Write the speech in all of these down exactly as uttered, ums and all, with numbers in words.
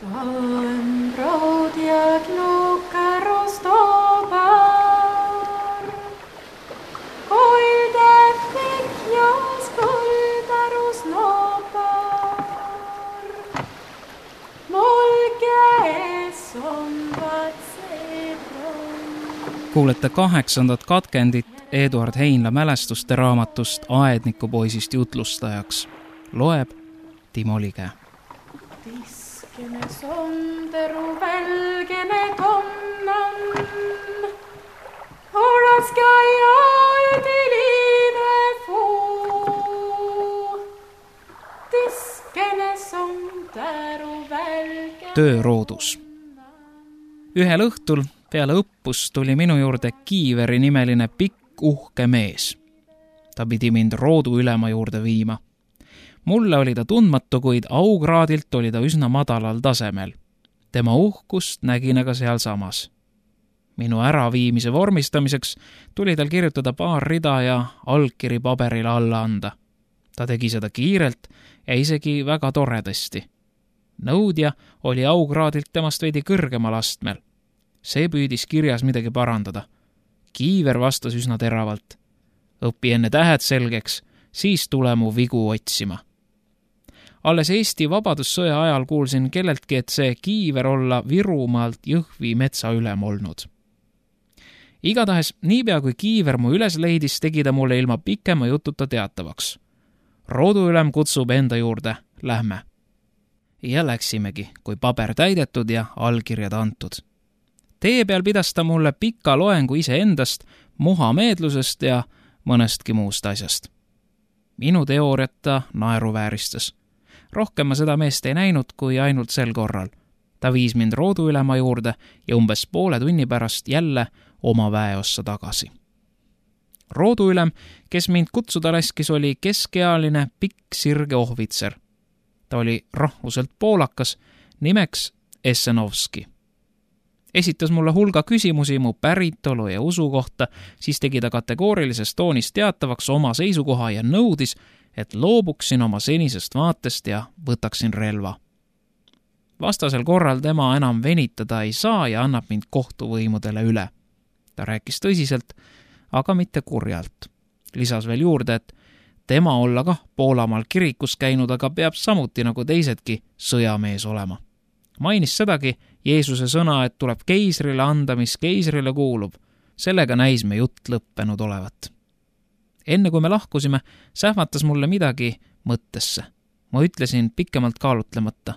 Stałem brod jak luka roztobar, Kulde fick jag skuldar och snoppar. Molke är som vatsedron. Kuulete kaheksandat katkendit Eduard Heinla mälestuste raamatust Aednikupoisist jutlustajaks. Loeb Timo Lige. Tiskene sonder och välgene tonnan. Hårda ska jag ut i livet få. Tiskene sonder och välgene Tööroodus. Ühel õhtul peale õppust tuli minu juurde Kiiveri nimeline pikk uhke mees. Ta pidi mind roodu ülema juurde viima. Mulle oli ta tundmatu, kuid augraadilt oli ta üsna madalal tasemel. Tema uhkust nägin aga seal samas. Minu äraviimise vormistamiseks tuli tal kirjutada paar rida ja allkiri paberile alla anda. Ta tegi seda kiirelt ja isegi väga toredasti. Nõudja oli augraadilt temast veidi kõrgemal astmel. See püüdis kirjas midagi parandada. Kiiver vastas üsna teravalt. Õpi enne tähed selgeks, siis tule mu vigu otsima. Alles Eesti Vabadussõja ajal kuulsin kelleltki, et see Kiiver olla Virumaalt Jõhvi metsa ülem olnud. Igatahes, niipea kui Kiiver mu üles leidis, tegi ta mulle ilma pikema jututa teatavaks. Roodu ülem kutsub enda juurde, lähme. Ja läksimegi, kui paber täidetud ja allkirjad antud. Tee peal pidas ta mulle pika loengu iseendast, muhameedlusest ja mõnestki muust asjast. Minu teooriat ta naeruvääristas. Rohkem ma seda meest ei näinud kui ainult sel korral. Ta viis mind roodu ülema juurde ja umbes poole tunni pärast jälle oma väeossa tagasi. Roodu ülem, kes mind kutsuda laskis, oli keskealine pikk sirge ohvitser. Ta oli rahvuselt poolakas, nimeks Essenovski. Esitas mulle hulga küsimusi mu päritolu ja usu kohta, siis tegi ta kategoorilises toonis teatavaks oma seisukoha ja nõudis, et loobuksin oma senisest vaatest ja võtaksin relva. Vastasel korral tema enam venitada ei saa ja annab mind kohtuvõimudele üle. Ta rääkis tõsiselt, aga mitte kurjalt. Lisas veel juurde, et tema olla kah Poolamaal kirikus käinud, aga peab samuti nagu teisedki sõjamees olema. Mainis sedagi Jeesuse sõna, et tuleb keisrile anda, mis keisrile kuulub. Sellega näis me jutt lõppenud olevat. Enne kui me lahkusime, sähvatas mulle midagi mõttesse. Ma ütlesin pikemalt kaalutlemata.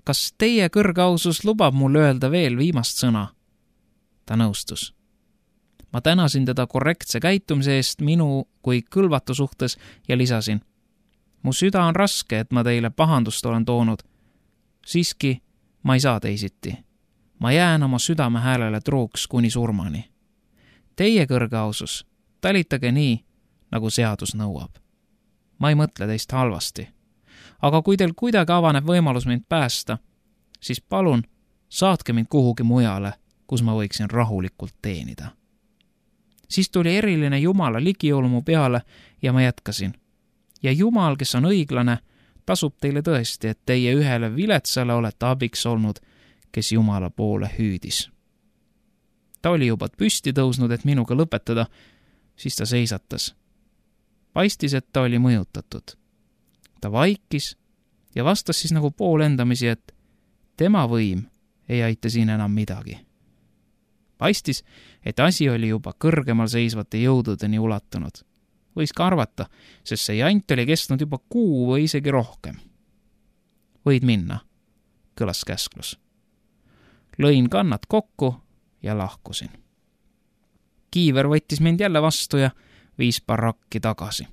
Kas teie kõrgausus lubab mul öelda veel viimast sõna? Ta nõustus. Ma tänasin teda korrektse käitumise eest minu kui kõlvatu suhtes ja lisasin. Mu süda on raske, et ma teile pahandust olen toonud. Siiski ma ei saa teisiti. Ma jään oma südame häälele truuks kuni surmani. Teie kõrgausus, talitage nii, nagu seadus nõuab. Ma ei mõtle teist halvasti. Aga kui teil kuidagi avaneb võimalus mind päästa, siis palun saatke mind kuhugi mujale, kus ma võiksin rahulikult teenida. Siis tuli eriline Jumala ligiolu mu peale ja ma jätkasin. Ja Jumal, kes on õiglane, tasub teile tõesti, et teie ühele viletsale olete abiks olnud, kes Jumala poole hüüdis. Ta oli juba püsti tõusnud, et minuga lõpetada, siis ta seisatas. Paistis, et ta oli mõjutatud. Ta vaikis ja vastas siis nagu poolendamisi, et tema võim ei aita siin enam midagi. Paistis, et asi oli juba kõrgemal seisvate jõududeni ulatunud. Võis ka arvata, sest see jant oli kestnud juba kuu või isegi rohkem. Võid minna, kõlas käsklus. Lõin kannad kokku ja lahkusin. Kiiver võttis mind jälle vastu ja viis barakki tagasi.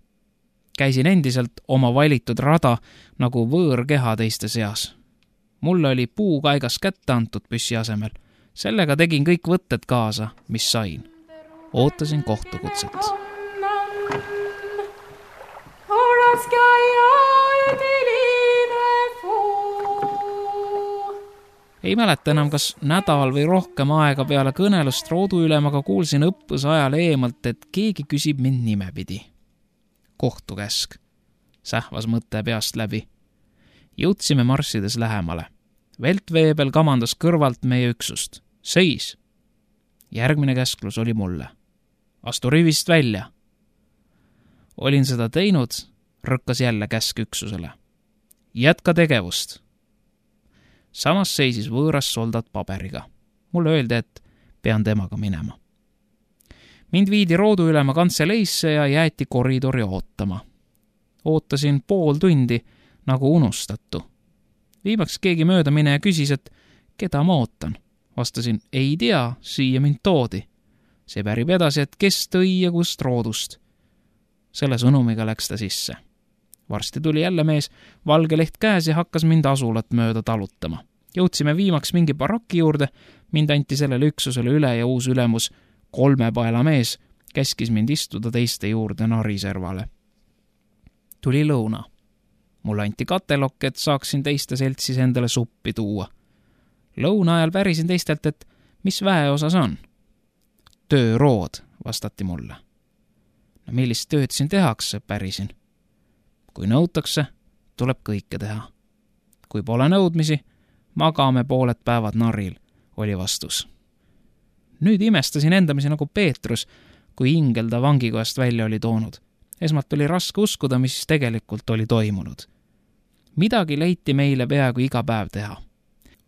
Käisin endiselt oma valitud rada nagu võõrkeha teiste seas. Mulle oli puukaigas kätte antud püssi asemel. Sellega tegin kõik võtted kaasa, mis sain. Ootasin kohtukutset. Ei mäleta enam, kas nädal või rohkem aega peale kõnelust roodu ülemaga kuulsin õppuse ajal eemalt, et keegi küsib mind nimepidi. Kohtukäsk. Sähvas mõte peast läbi. Jõudsime marssides lähemale. Veltveebel kamandas kõrvalt meie üksust. Seis! Järgmine käsklus oli mulle. Astu rivist välja! Olin seda teinud, rõkkas jälle käsk üksusele. Jätka tegevust! Samas seisis võõras soldat paberiga. Mulle öeldi, et pean temaga minema. Mind viidi rooduülema kantseleisse ja jäeti koridori ootama. Ootasin pool tundi nagu unustatu. Viimaks keegi mööda mine ja küsis, et keda ma ootan. Vastasin, ei tea, siia mind toodi. See pärib edasi, et kes tõi ja kust roodust. Selle sõnumiga läks ta sisse. Varsti tuli jälle mees, valge leht käes ja hakkas mind asulat mööda talutama. Jõudsime viimaks mingi baraki juurde, mind anti sellele üksusele üle ja uus ülemus, kolmepaela mees, käskis mind istuda teiste juurde nariservale. Tuli lõuna. Mulle anti katelokk, et saaksin teiste seltsis endale suppi tuua. Lõuna ajal pärisin teistelt, et mis väeosas on? Töörood, vastati mulle. No millist tööd siin tehakse, pärisin. Kui nõutakse, tuleb kõike teha. Kui pole nõudmisi, magame pooled päevad naril, oli vastus. Nüüd imestasin endamisi nagu Peetrus, kui ingel ta vangikojast välja oli toonud. Esmalt oli raske uskuda, mis tegelikult oli toimunud. Midagi leiti meile peaaegu iga päev teha.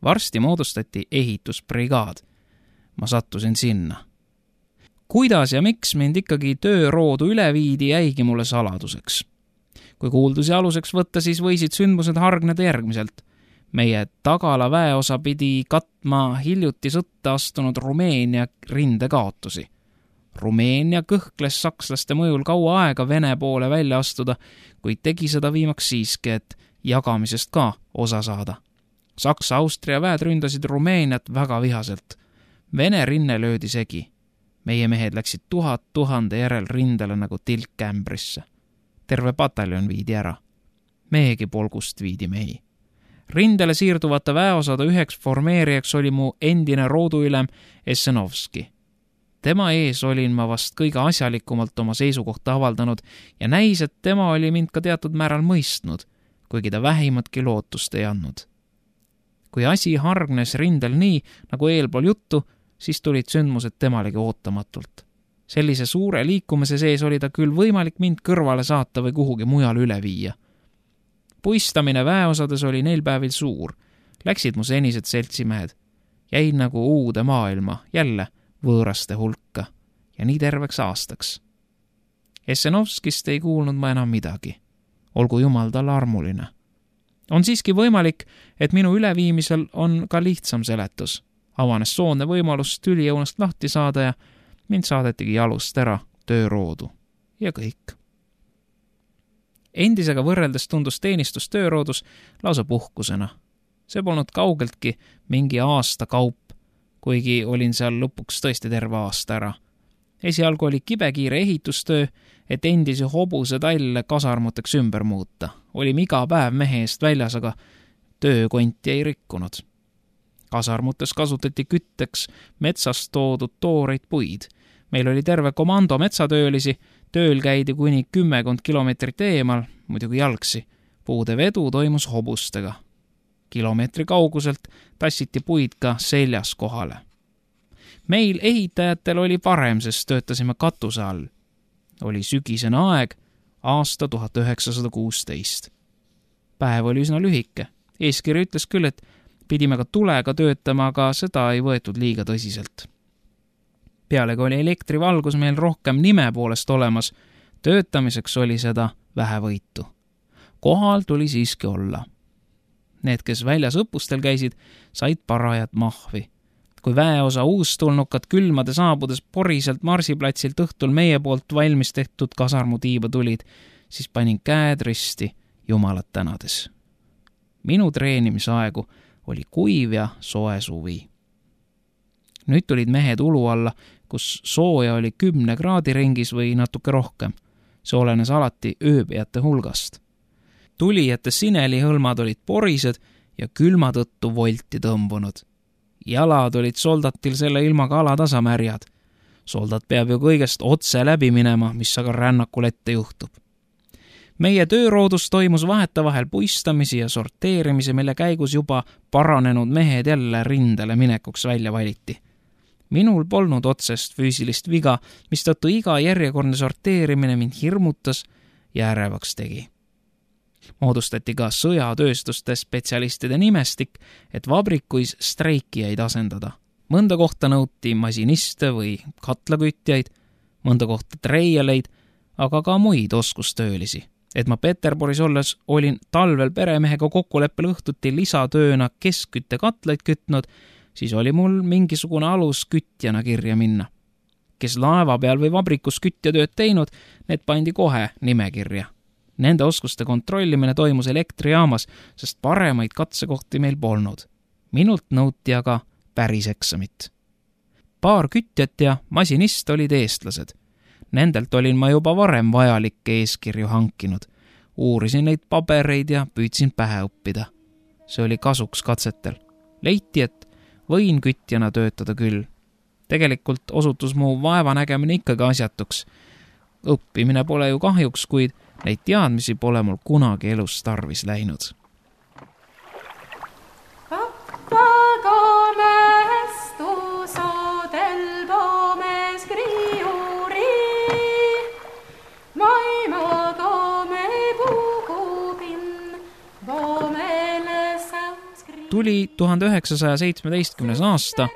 Varsti moodustati ehitusbrigaad. Ma sattusin sinna. Kuidas ja miks mind ikkagi tööroodu üle viidi, jäigi mulle saladuseks. Kui kuuldusi aluseks võtta, siis võisid sündmused hargneda järgmiselt. Meie tagala väeosa pidi katma hiljuti sõtta astunud Rumeenia rindekaotusi. Rumeenia kõhkles sakslaste mõjul kaua aega Vene poole välja astuda, kuid tegi seda viimaks siiski, et jagamisest ka osa saada. Saksa-Austria väed ründasid Rumeeniat väga vihaselt. Vene rinne löödi segi. Meie mehed läksid tuhat tuhande järel rindele nagu tilk ämbrisse. Terve pataljon viidi ära. Meiegi polgust viidi mehi. Rindele siirduvate väeosade üheks formeerijaks oli mu endine rooduülem Essenovski. Tema ees olin ma vast kõige asjalikumalt oma seisukohta avaldanud ja näis, et tema oli mind ka teatud määral mõistnud, kuigi ta vähimatki lootust ei andnud. Kui asi hargnes rindel nii, nagu eelpool juttu, siis tulid sündmused temalegi ootamatult. Sellise suure liikumise sees oli ta küll võimalik mind kõrvale saata või kuhugi mujal üle viia. Puistamine väeosades oli neil päevil suur. Läksid mu senised seltsimehed. Jäin nagu uude maailma, jälle võõraste hulka ja nii terveks aastaks. Essenovskist ei kuulnud ma enam midagi. Olgu jumal talle armuline. On siiski võimalik, et minu üleviimisel on ka lihtsam seletus. Avanes soodne võimalus tülijõunast lahti saada ja mind saadetigi jalust ära tööroodu. Ja kõik. Endisega võrreldes tundus teenistus tööroodus lausa puhkusena. See polnud kaugeltki mingi aasta kaup, kuigi olin seal lõpuks tõesti terve aasta ära. Esialgu oli kibekiire ehitustöö, et endisi hobuse talle kasarmuteks ümber muuta. Olime iga päev mehe eest väljas, aga töökonti ei rikkunud. Kasarmutes kasutati kütteks metsast toodud tooreid puid. Meil oli terve komando metsatöölisi, tööl käidi kuni kümmekond kilomeetrit eemal, muidugi jalgsi. Puude vedu toimus hobustega. Kilomeetri kauguselt tassiti puid ka seljas kohale. Meil ehitajatel oli parem, sest töötasime katuse all. Oli sügisene aeg, aasta tuhat üheksasada kuusteist. Päev oli üsna lühike. Eeskiri ütles küll, et pidime ka tulega töötama, aga seda ei võetud liiga tõsiselt. Pealegi oli elektrivalgus meil rohkem nime poolest olemas. Töötamiseks oli seda vähe võitu. Kohal tuli siiski olla. Need, kes väljas õppustel käisid, said parajat mahvi. Kui väeosa uustulnukad külmade saabudes poriselt marsiplatsilt õhtul meie poolt valmis tehtud kasarmutiiba tulid, siis panin käed risti jumalat tänades. Minu treenimisaegu oli kuiv ja soe suvi. Nüüd tulid mehed ulu alla, kus sooja oli kümne kraadi ringis või natuke rohkem. See olenes alati ööbijate hulgast. Tulijate sinelihõlmad olid porised ja külma tõttu volti tõmbunud. Jalad olid soldatil selle ilmaga alatasamärjad. Soldat peab ju kõigest otse läbi minema, mis aga rännakul ette juhtub. meie tööroodus toimus vahetevahel puistamisi ja sorteerimisi, mille käigus juba paranenud mehed jälle rindele minekuks välja valiti. Minul polnud otsest füüsilist viga, mistõttu iga järjekordne sorteerimine mind hirmutas ja ärevaks tegi. Moodustati ka sõjatööstuste spetsialistide nimestik, et vabrikuis streikijaid asendada. Mõnda kohta nõuti masiniste või katlakütjaid, mõnda kohta treialeid, aga ka muid oskustöölisi. Et ma Peterburis olles olin talvel peremehega kokkuleppel õhtuti lisatööna keskkütte katlaid kütnud, siis oli mul mingisugune alus kütjana kirja minna. Kes laeva peal või vabrikus kütjatööd teinud, need pandi kohe nimekirja. Nende oskuste kontrollimine toimus elektrijaamas, sest paremaid katsekohti meil polnud. Minult nõuti aga päris eksamit. Paar kütjat ja masinist olid eestlased. Nendelt olin ma juba varem vajalikke eeskirju hankinud. Uurisin neid pabereid ja püüdsin pähe õppida. See oli kasuks katsetel. Leiti, et võin kütjana töötada küll. Tegelikult osutus mu vaevanägemine ikkagi asjatuks. Õppimine pole ju kahjuks, kuid neid teadmisi pole mul kunagi elus tarvis läinud. Pappaga mästusodel pomes kriuri, maimaga me puhupin, pomele sanskriiri. Tuli tuhande üheksasaja seitsmeteistkümnes aasta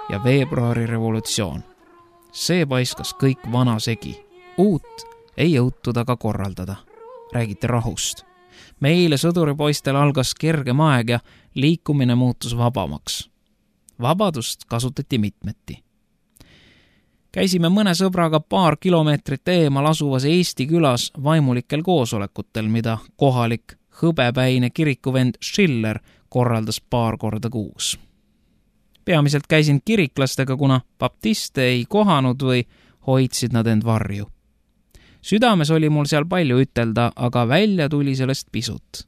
ja veebruari revolutsioon. See paiskas kõik vana segi. Uut ei jõutud aga korraldada. Räägiti rahust. Meile sõduripoistel algas kergem aeg ja liikumine muutus vabamaks. Vabadust kasutati mitmeti. Käisime mõne sõbraga paar kilomeetrit eemal asuvas Eesti külas vaimulikel koosolekutel, mida kohalik hõbepäine kirikuvend Schiller korraldas paar korda kuus. Peamiselt käisin kiriklastega, kuna baptiste ei kohanud või hoidsid nad end varju. Südames oli mul seal palju ütelda, aga välja tuli sellest pisut.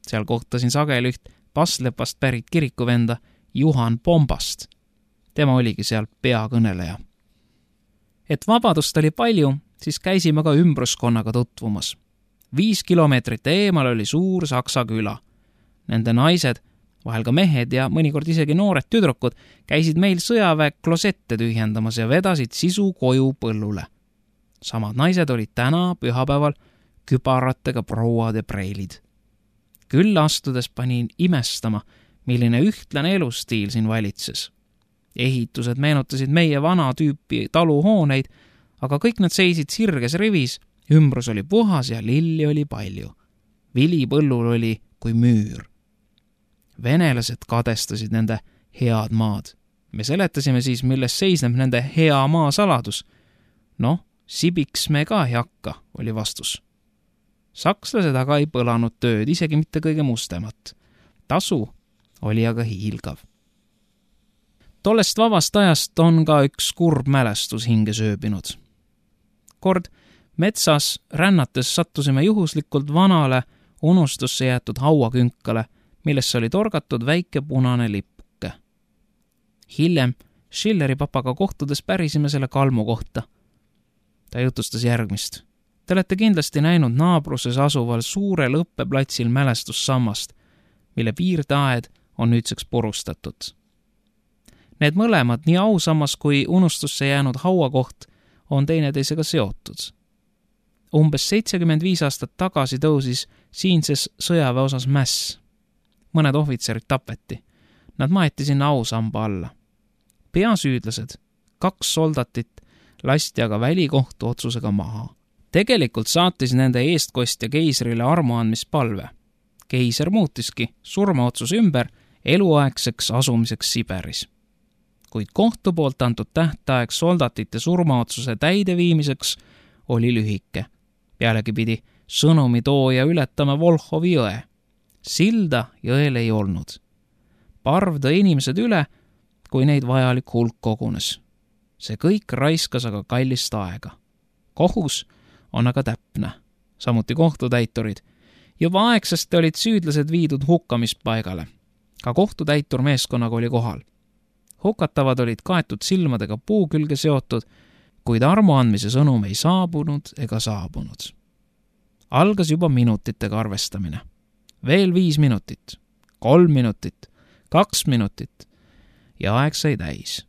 Seal kohtasin sageli üht Paslepast pärit kirikuvenda Juhan Pombast. Tema oligi seal peakõneleja. Et vabadust oli palju, siis käisime ka ümbruskonnaga tutvumas. Viis kilomeetrit eemal oli suur saksa küla. Nende naised, vahel ka mehed ja mõnikord isegi noored tüdrukud, käisid meil sõjaväe klosette tühjendamas ja vedasid sisu koju põllule. Samad naised olid täna pühapäeval kübaratega prouad ja preilid. Küll astudes panin imestama, milline ühtlane elustiil siin valitses. Ehitused meenutasid meie vana tüüpi taluhooneid, aga kõik nad seisid sirges rivis, ümbrus oli puhas ja lilli oli palju. Vili põllul oli kui müür. Venelased kadestasid nende head maad. Me seletasime siis, milles seisneb nende hea maa saladus. Noh, sibiks me ka ei hakka, oli vastus. Sakslased aga ei põlanud tööd, isegi mitte kõige mustemat. Tasu oli aga hiilgav. Tollest vabast ajast on ka üks kurb mälestus hinge sööbinud. Kord metsas rännates sattusime juhuslikult vanale unustusse jäetud hauakünkale, millesse oli torgatud väike punane lippuke. Hiljem Schilleri papaga kohtudes pärisime selle kalmu kohta. Ta jutustas järgmist. Te olete kindlasti näinud naabruses asuval suurel õppeplatsil mälestussammast, mille piirdeaed on nüüdseks purustatud. Need mõlemad, nii ausammas kui unustusse jäänud hauakoht, on teineteisega seotud. Umbes seitsekümmend viis aastat tagasi tõusis siinses sõjaväe osas mäss. Mõned ohvitserid tapeti. Nad maeti sinna ausamba alla. Peasüüdlased, kaks soldatit, lasti aga välikohtu otsusega maha. Tegelikult saatis nende eestkostja keisrile armuandmispalve. Keiser muutiski surmaotsus ümber eluaegseks asumiseks Siberis. Kuid kohtu poolt antud tähtaeg soldatite surmaotsuse täideviimiseks oli lühike. Pealegi pidi sõnumi tooja ületama Volhovi jõe. Silda jõel ei olnud. Parv tõi inimesed üle, kui neid vajalik hulk kogunes. See kõik raiskas aga kallist aega. Kohus on aga täpne, samuti kohtutäiturid. Juba aegsasti olid süüdlased viidud hukkamispaigale. Ka kohtutäitur meeskonnaga oli kohal. Hukatavad olid kaetud silmadega puu külge seotud, kuid armuandmise sõnum ei saabunud ega saabunud. Algas juba minutitega arvestamine. Veel viis minutit, kolm minutit, kaks minutit ja aeg sai täis.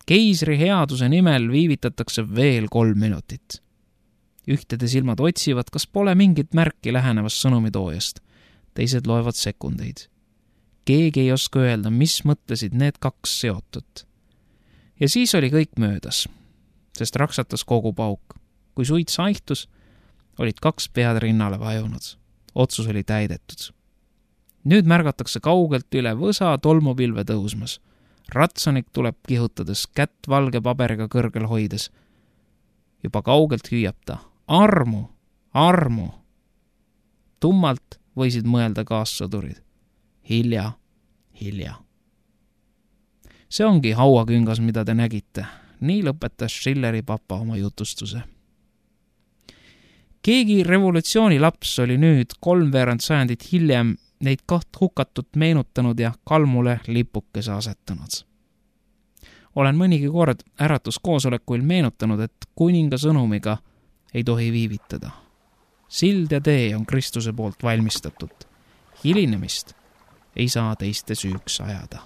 Keisri headuse nimel viivitatakse veel kolm minutit. Ühtede silmad otsivad, kas pole mingit märki lähenevast sõnumitoojast. Teised loevad sekundeid. Keegi ei oska öelda, mis mõtlesid need kaks seotud. Ja siis oli kõik möödas, sest raksatas kogu pauk. Kui suits haihtus, olid kaks pead rinnale vajunud. Otsus oli täidetud. Nüüd märgatakse kaugelt üle võsa tolmupilve tõusmas. Ratsanik tuleb kihutades, kätt valge paberiga kõrgel hoides. Juba kaugelt hüüab ta. Armu, armu. Tummalt võisid mõelda kaassõdurid. Hilja, hilja. See ongi hauaküngas, mida te nägite. Nii lõpetas Schilleri papa oma jutustuse. Keegi revolutsiooni laps oli nüüd kolmveerand sajandit hiljem neid kaht hukatut meenutanud ja kalmule lipukese asetanud. Olen mõnigi kord äratuskoosolekuil meenutanud, et kuninga sõnumiga ei tohi viivitada. Sild ja tee on Kristuse poolt valmistatud. Hilinemist ei saa teiste süüks ajada.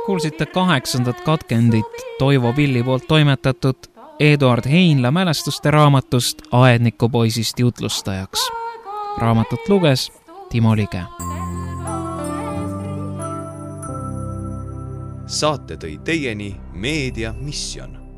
Kuulsite kaheksandat katkendit Toivo Pilli poolt toimetatud Eduard Heinla mälestuste raamatust Aednikupoisist jutlustajaks. Raamatut luges Timo Lige. Saate tõi teieni Meedia Mission.